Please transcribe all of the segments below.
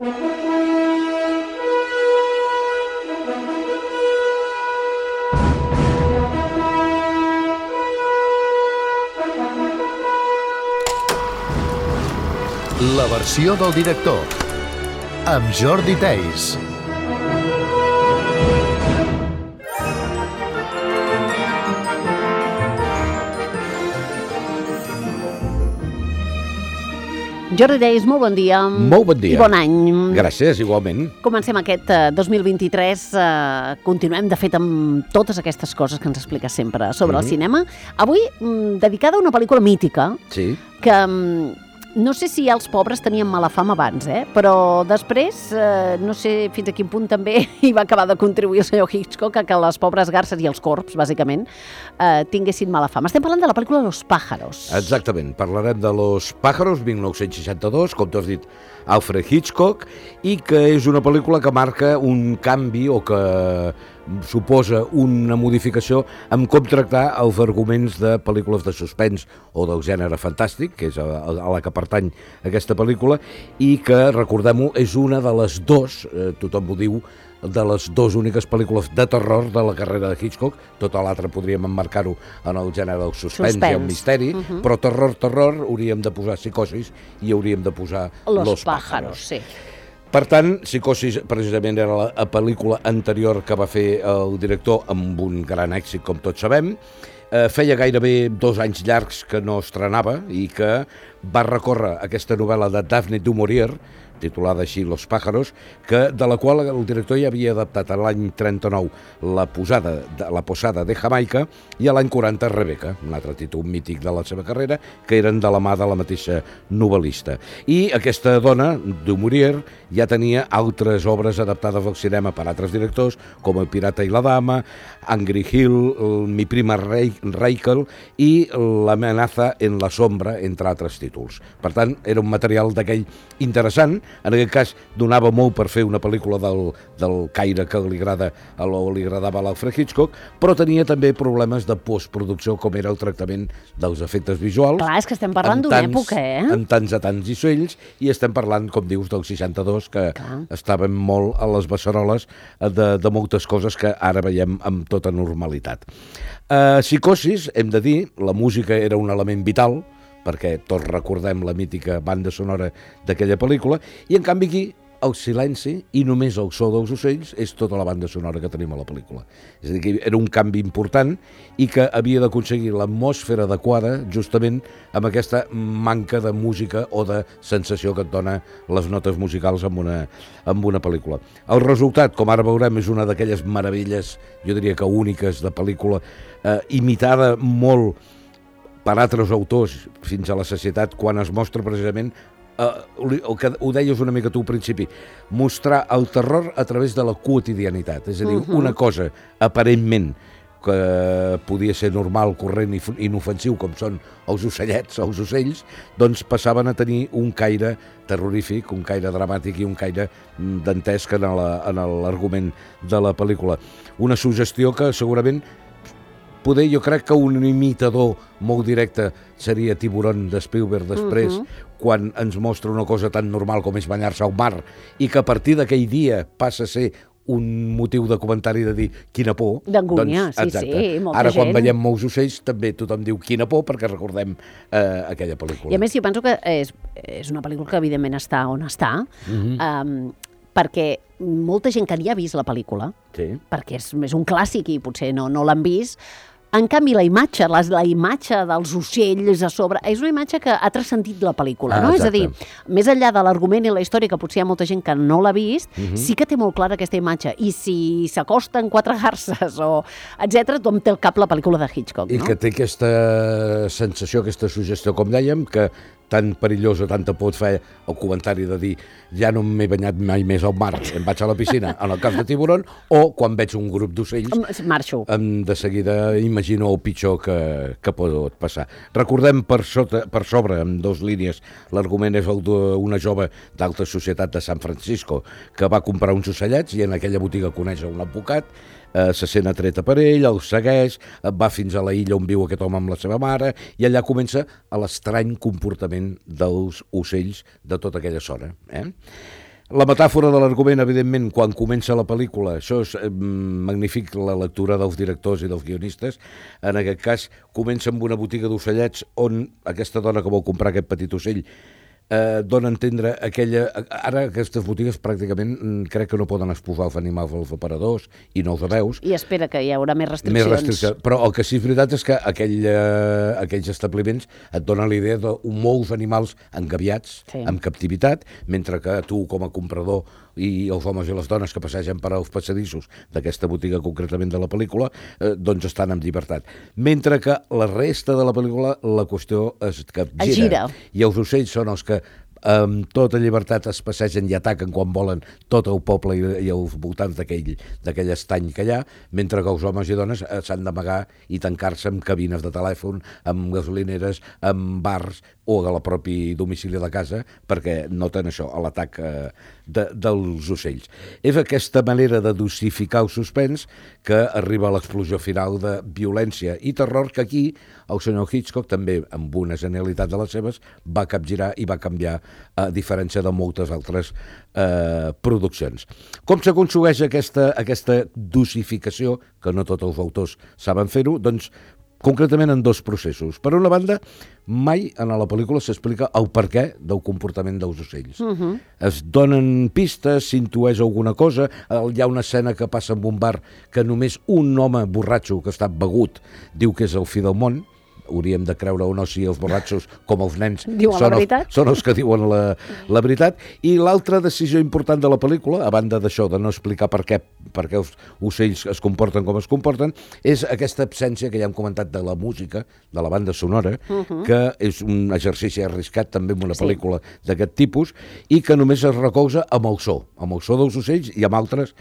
La versió del director, amb Jordi Theis. Jordi Theis, molt bon dia. Molt bon dia. I bon any. Gràcies, igualment. Comencem aquest 2023, continuem de fet amb totes aquestes coses que ens expliques sempre sobre el cinema. Avui, dedicada a una pel·lícula mítica, Sí. que no sé si els pobres tenien mala fama abans, però després, no sé fins a quin punt també hi va acabar de contribuir el senyor Hitchcock a que les pobres garces i els corbs, bàsicament, tinguessin mala fama. Estem parlant de la pel·lícula Los pájaros. Exactament. Parlarem de Los pájaros, 1962, com tu has dit, Alfred Hitchcock, i que és una pel·lícula que marca un canvi o que suposa una modificació en com tractar els arguments de pel·lícules de suspens o del gènere fantàstic, que és a la que pertany aquesta pel·lícula, i que, recordem-ho, és una de les dues, tothom ho diu, de les dues úniques pel·lícules de terror de la carrera de Hitchcock. Tota l'altra podríem emmarcar-ho en el gènere del suspens i el misteri, però terror, hauríem de posar Psicosis i hauríem de posar Los pájaros. Sí. Per tant, Psicosis precisament era la pel·lícula anterior que va fer el director amb un gran èxit, com tots sabem. Feia gairebé 2 anys llargs que no estrenava i que va recórrer aquesta novel·la de Daphne du Maurier, titulada així Los pájaros, de la qual el director ja havia adaptat a l'any 39 La posada de Jamaica i a l'any 40 Rebecca, un altre títol mític de la seva carrera, que eren de la mà de la mateixa novel·lista. I aquesta dona, du Maurier, ja tenia altres obres adaptades al cinema per altres directors, com El pirata i la dama, Angry Hill, Mi prima Rachel i L'amenaza en la sombra, entre altres títols. Per tant, era un material d'aquell interessant. En aquest cas, donava molt per fer una pel·lícula del caire que li agradava a l'Alfred Hitchcock, però tenia també problemes de postproducció, com era el tractament dels efectes visuals. Clar, és que estem parlant d'una època, En tants a tants ocells, i estem parlant, com dius, del 62, que estàvem molt a les beceroles de moltes coses que ara veiem amb tota normalitat. Psicosis, hem de dir, la música era un element vital, perquè tots recordem la mítica banda sonora d'aquella pel·lícula, i en canvi aquí el silenci i només el so dels ocells és tota la banda sonora que tenim a la pel·lícula. És a dir, que era un canvi important i que havia d'aconseguir l'atmosfera adequada justament amb aquesta manca de música o de sensació que et dona les notes musicals amb una pel·lícula. El resultat, com ara veurem, és una d'aquelles meravelles, jo diria que úniques, de pel·lícula, imitada molt per altres autors fins a la sacietat, quan es mostra precisament el que ho deies una mica tu al principi, mostrar el terror a través de la quotidianitat, és a dir, una cosa aparentment que podia ser normal, corrent i inofensiu, com són els ocellets, els ocells, doncs passaven a tenir un caire terrorífic, un caire dramàtic i un caire dantesc en l'argument de la pel·lícula. Una suggestió que segurament jo crec que un imitador molt directe seria Tiburón de Spielberg després, quan ens mostra una cosa tan normal com és banyar-se al mar, i que a partir d'aquell dia passa a ser un motiu de comentari de dir quina por. D'angúnia, sí, molta gent. Ara, quan veiem molts ocells, també tothom diu quina por, perquè recordem aquella pel·lícula. I a més, jo penso que és una pel·lícula que evidentment està on està, perquè molta gent que ni ha vist la pel·lícula, perquè és un clàssic i potser no l'han vist, en canvi la imatge dels ocells a sobre, és una imatge que ha transcendit la pel·lícula, no? És a dir, més enllà de l'argument i la història, que potser hi ha molta gent que no l'ha vist, sí que té molt clara aquesta imatge, i si s'acosten 4 garces o etcètera, tothom té al cap la pel·lícula de Hitchcock, no? I que té aquesta sensació, aquesta suggestió, com dèiem, que tan perillós o tanta por et fa el comentari de dir ja no m'he banyat mai més al mar, em vaig a la piscina, en el cas de Tiburón, o quan veig un grup d'ocells, marxo. De seguida imagino el pitjor que pot passar. Recordem per sobre, amb 2 línies, l'argument és el d'una jove d'alta societat de San Francisco que va comprar uns ocellets i en aquella botiga coneix un advocat, se sent atreta per ell, el segueix, va fins a la illa on viu aquest home amb la seva mare, i allà comença l'estrany comportament dels ocells de tota aquella zona. La metàfora de l'argument, evidentment, quan comença la pel·lícula, això és magnífic, la lectura dels directors i dels guionistes. En aquest cas, comença amb una botiga d'ocellets on aquesta dona que vol comprar aquest petit ocell dona a entendre aquella... Ara aquestes botigues pràcticament crec que no poden exposar els animals als aparadors i no els veus. I espera que hi haurà més restriccions. Però el que sí és veritat és que aquells establiments et donen la idea de molts animals engabiats, en captivitat, mentre que tu com a comprador i els homes i les dones que passegen per als passadissos d'aquesta botiga concretament de la pel·lícula, doncs estan en llibertat. Mentre que la resta de la pel·lícula la qüestió es gira. I els ocells són els que amb tota llibertat es passegen i ataquen quan volen tot el poble i els voltants d'aquell estany que hi ha, mentre que els homes i dones s'han d'amagar i tancar-se en cabines de telèfon, amb gasolineres, amb bars o a la propi domicili de casa, perquè noten això, l'atac dels ocells. És aquesta manera de dosificar el suspens que arriba a l'explosió final de violència i terror que aquí el senyor Hitchcock, també amb una genialitat de les seves, va capgirar i va canviar, a diferència de moltes altres produccions. Com s'aconsegueix aquesta dosificació, que no tots els autors saben fer-ho? Doncs concretament en dos processos. Per una banda, mai en la pel·lícula s'explica el perquè del comportament dels ocells. Es donen pistes, s'intueix alguna cosa, hi ha una escena que passa en un bar que només un home borratxo que està begut diu que és el fi del món. Hauríem de creure o no si els borratxos, com els nens, són els que diuen la veritat. I l'altra decisió important de la pel·lícula, a banda d'això, de no explicar per què els ocells es comporten com es comporten, és aquesta absència que ja hem comentat de la música, de la banda sonora, que és un exercici arriscat també en una pel·lícula d'aquest tipus, i que només es recolza amb el so dels ocells i amb altres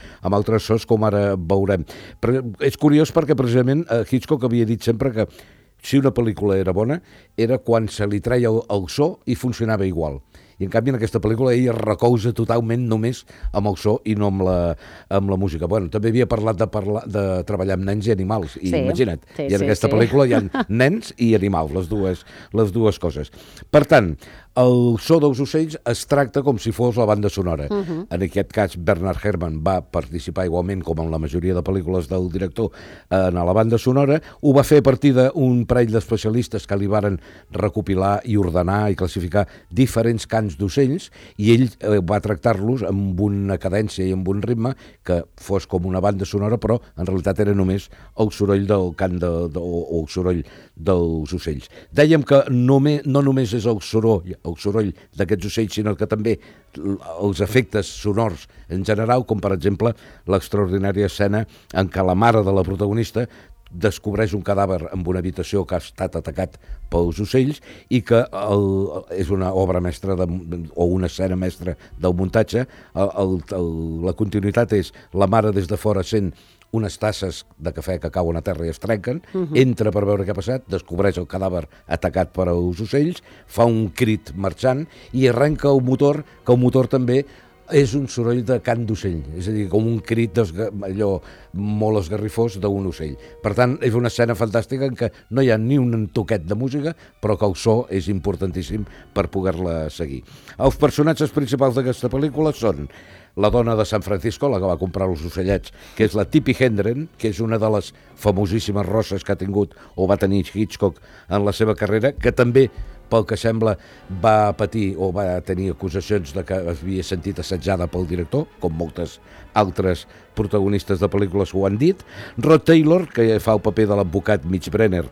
sos, com ara veurem. Però és curiós perquè precisament Hitchcock havia dit sempre que si una pel·lícula era bona, era quan se li treia el so i funcionava igual. I en canvi en aquesta pel·lícula ell es recolza totalment només amb el so i no amb la música. Bueno, també havia parlat de treballar amb nens i animals, i imagina't, i en aquesta pel·lícula hi ha nens i animals, les dues coses. Per tant, el so dels ocells es tracta com si fos la banda sonora. En aquest cas, Bernard Herrmann va participar igualment, com en la majoria de pel·lícules del director, en la banda sonora. Ho va fer a partir d'un parell d'especialistes que li varen recopilar i ordenar i classificar diferents cants d'ocells, i ell va tractar-los amb una cadència i amb un ritme que fos com una banda sonora, però en realitat era només el soroll del cant o el soroll dels ocells. Dèiem que no només és el soroll d'aquests ocells, sinó que també els efectes sonors en general, com per exemple l'extraordinària escena en què la mare de la protagonista descobreix un cadàver en una habitació que ha estat atacat pels ocells i que és una obra mestra o una escena mestra del muntatge. La continuïtat és la mare des de fora sent unes tasses de cafè que cauen a terra i es trenquen, entra per veure què ha passat, descobreix el cadàver atacat per als ocells, fa un crit marxant i arrenca el motor, que el motor també és un soroll de cant d'ocell, és a dir, com un crit allò molt esgarrifós d'un ocell. Per tant, és una escena fantàstica en què no hi ha ni un toquet de música, però que el so és importantíssim per poder-la seguir. Els personatges principals d'aquesta pel·lícula són la dona de San Francisco, la que va comprar els ocellets, que és la Tippi Hedren, que és una de les famosíssimes rosses que ha tingut o va tenir Hitchcock en la seva carrera, que també, pel que sembla, va patir o va tenir acusacions de que havia sentit assetjada pel director, com moltes altres protagonistes de pel·lícules ho han dit. Rod Taylor, que fa el paper de l'advocat Mitch Brenner,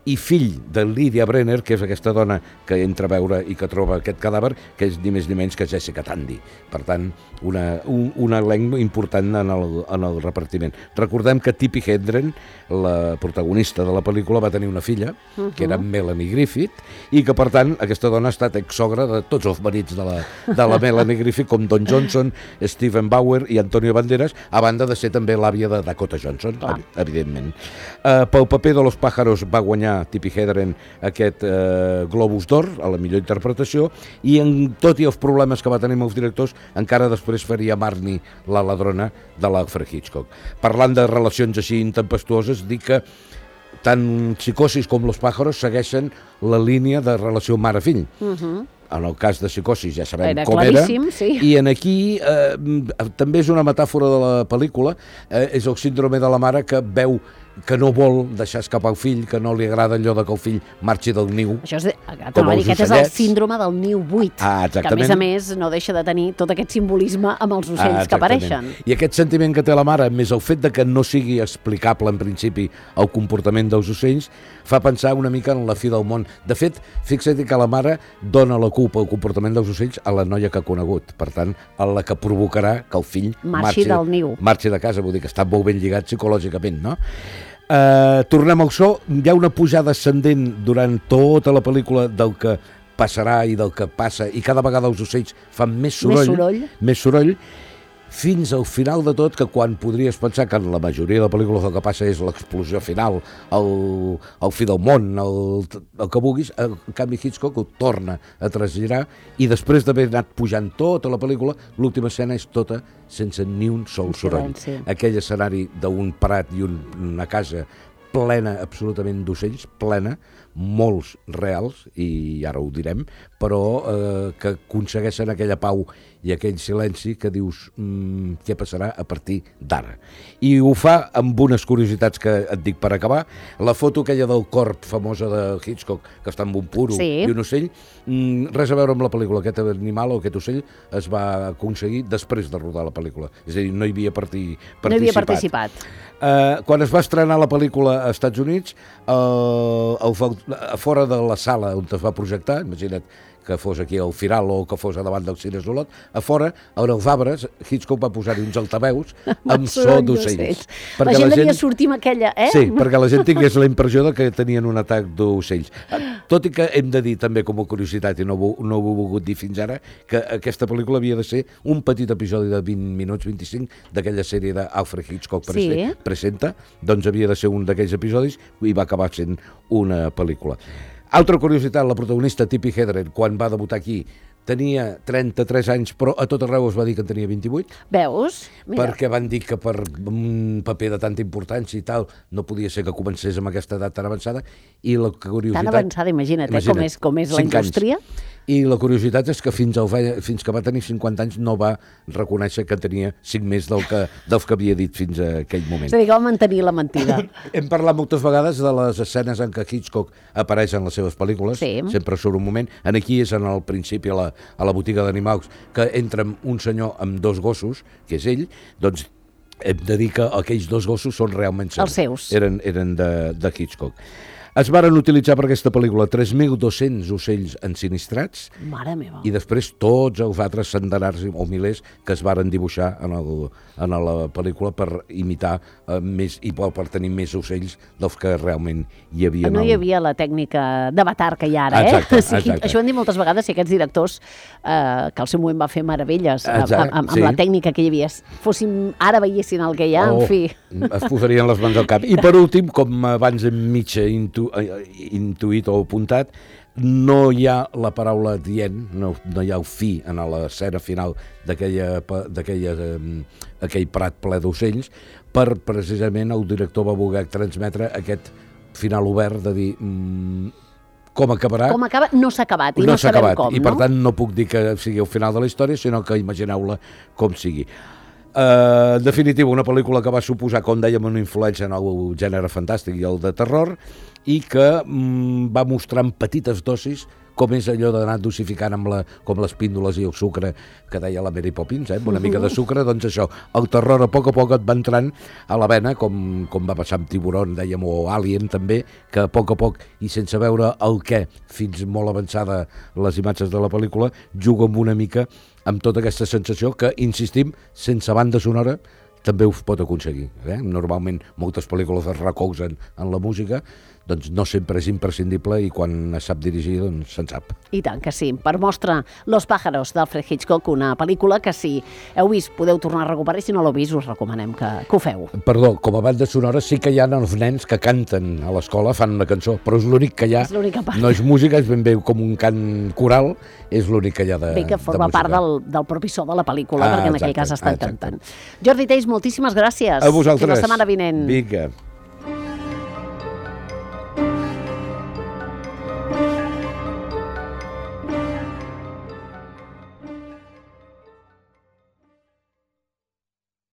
i fill de Lydia Brenner, que és aquesta dona que entra a veure i que troba aquest cadàver, que és ni més ni menys que Jessica Tandy. Per tant, un elenc important en el repartiment. Recordem que Tippi Hedren, la protagonista de la pel·lícula, va tenir una filla, que era Melanie Griffith, i que, per tant, aquesta dona ha estat exsogra de tots els marits de la Melanie Griffith, com Don Johnson, Steven Bauer i Antonio Banderas, a banda de ser també l'àvia de Dakota Johnson, evidentment. Pel paper de Los Pájaros va guanyar Tippi Hedren aquest Globus d'Or a la millor interpretació, i tot i els problemes que va tenir amb els directors, encara després faria Marnie, la ladrona de l'Alfred Hitchcock. Parlant de relacions així intempestuoses, dic que tant Psicosis com Los pájaros segueixen la línia de relació mare-fill. En el cas de Psicosis ja sabem com era. Sí. I en aquí també és una metàfora de la pel·lícula, és el síndrome de la mare que veu que no vol deixar escapar el fill, que no li agrada allò que el fill marxi del niu. Això és, aquest és el síndrome del niu buit, que a més no deixa de tenir tot aquest simbolisme amb els ocells que apareixen. I aquest sentiment que té la mare, més el fet de que no sigui explicable en principi el comportament dels ocells, fa pensar una mica en la fi del món. De fet, fixa't que la mare dona la culpa al comportament dels ocells a la noia que ha conegut, per tant, a la que provocarà que el fill marxi del niu. Marxi de casa, vull dir que està molt ben lligat psicològicament, no? Tornem al so, hi ha una pujada ascendent durant tota la pel·lícula del que passarà i del que passa, i cada vegada els ocells fan més soroll, fins al final de tot, que quan podries pensar que en la majoria de pel·lícules el que passa és l'explosió final, el fi del món, el que vulguis, en canvi Hitchcock ho torna a trasgirar, i després d'haver anat pujant tota la pel·lícula, l'última escena és tota sense ni un sol soroll. Aquell escenari d'un prat i una casa plena absolutament d'ocells, plena, molts reals, i ara ho direm, però que aconsegueixen aquella pau i aquell silenci que dius què passarà a partir d'ara. I ho fa amb unes curiositats que et dic per acabar. La foto aquella del corb famosa de Hitchcock, que està amb un puro i un ocell, res a veure amb la pel·lícula. Aquest animal o aquest ocell es va aconseguir després de rodar la pel·lícula. És a dir, no hi havia participat. Quan es va estrenar la pel·lícula als Estats Units, a fora de la sala on es va projectar, imagina't que fos aquí al Firal o que fos a davant del Cine Solot, a fora, on els arbres, Hitchcock va posar-hi uns altaveus amb so d'ocells. La gent devia sortir amb aquella, Sí, perquè la gent tingués la impressió que tenien un atac d'ocells. Tot i que hem de dir també com a curiositat, i no ho he volgut dir fins ara, que aquesta pel·lícula havia de ser un petit episodi de 20 minuts, 25, d'aquella sèrie d'Alfred Hitchcock presenta, doncs havia de ser un d'aquells episodis i va acabar sent una pel·lícula. Altra curiositat, la protagonista Tippi Hedren, quan va debutar aquí, tenia 33 anys, però a tot arreu es va dir que en tenia 28. Veus? Mira. Perquè van dir que per un paper de tanta importància i tal, no podia ser que comencés amb aquesta edat tan avançada. I la curiositat... Tan avançada, imagina't com és la indústria. I la curiositat és que fins que va tenir 50 anys no va reconèixer que tenia 5 més dels que havia dit fins a aquell moment. És a dir, que va mantenir la mentida. Hem parlat moltes vegades de les escenes en què Hitchcock apareix en les seves pel·lícules, sempre surt un moment. Aquí és en el principi a la botiga d'animals, que entra un senyor amb 2 gossos, que és ell, doncs hem de dir que aquells 2 gossos són realment els seus. Eren de Hitchcock. Es varen utilitzar per aquesta pel·lícula 3.200 ocells ensinistrats. Mare meva. I després tots els altres centenars o milers que es varen dibuixar en la pel·lícula per imitar més i per tenir més ocells dels que realment hi havia. No hi havia la tècnica d'avatar que hi ha ara, Exacte. Això ho han dit moltes vegades, si aquests directors que al seu moment va fer meravelles amb la tècnica que hi havia, ara veiessin el que hi ha, en fi. Es posarien les mans al cap. I per últim, com abans hem mitja intuït o apuntat, no hi ha la paraula dient, no hi ha el fi en l'escena final d'aquell prat ple d'ocells, per precisament el director va voler transmetre aquest final obert de dir com acabarà. Com acaba, no s'ha acabat i no sabem com, i per tant no puc dir que sigui el final de la història, sinó que imagineu-la com sigui. En definitiva, una pel·lícula que va suposar, com dèiem, una influència en el gènere fantàstic i el de terror, i que va mostrar en petites dosis com és allò d'anar dosificant com les píndoles i el sucre que deia la Mary Poppins, amb una mica de sucre, doncs això, el terror a poc et va entrant a la vena, com va passar amb Tiburon, dèiem, o Alien també, que a poc i sense veure el què, fins molt avançada les imatges de la pel·lícula, juga amb una mica amb tota aquesta sensació que, insistim, sense banda sonora també ho pot aconseguir. Normalment moltes pel·lícules es recolzen en la música, doncs no sempre és imprescindible i quan es sap dirigir, doncs se'n sap. I tant que sí. Per mostra Los pájaros d'Alfred Hitchcock, una pel·lícula que si heu vist podeu tornar a recuperar i si no l'heu vist us recomanem que ho feu. Perdó, com a banda sonora sí que hi ha els nens que canten a l'escola, fan una cançó, però és l'únic que hi ha. És l'única part. No és música, és ben bé com un cant coral, és l'únic que hi ha de música. Bé, que forma part del propi so de la pel·lícula, perquè en aquell cas estan cantant. Jordi Teis, moltíssimes gràcies. A vosaltres. Fins la setmana vinent. Vinga.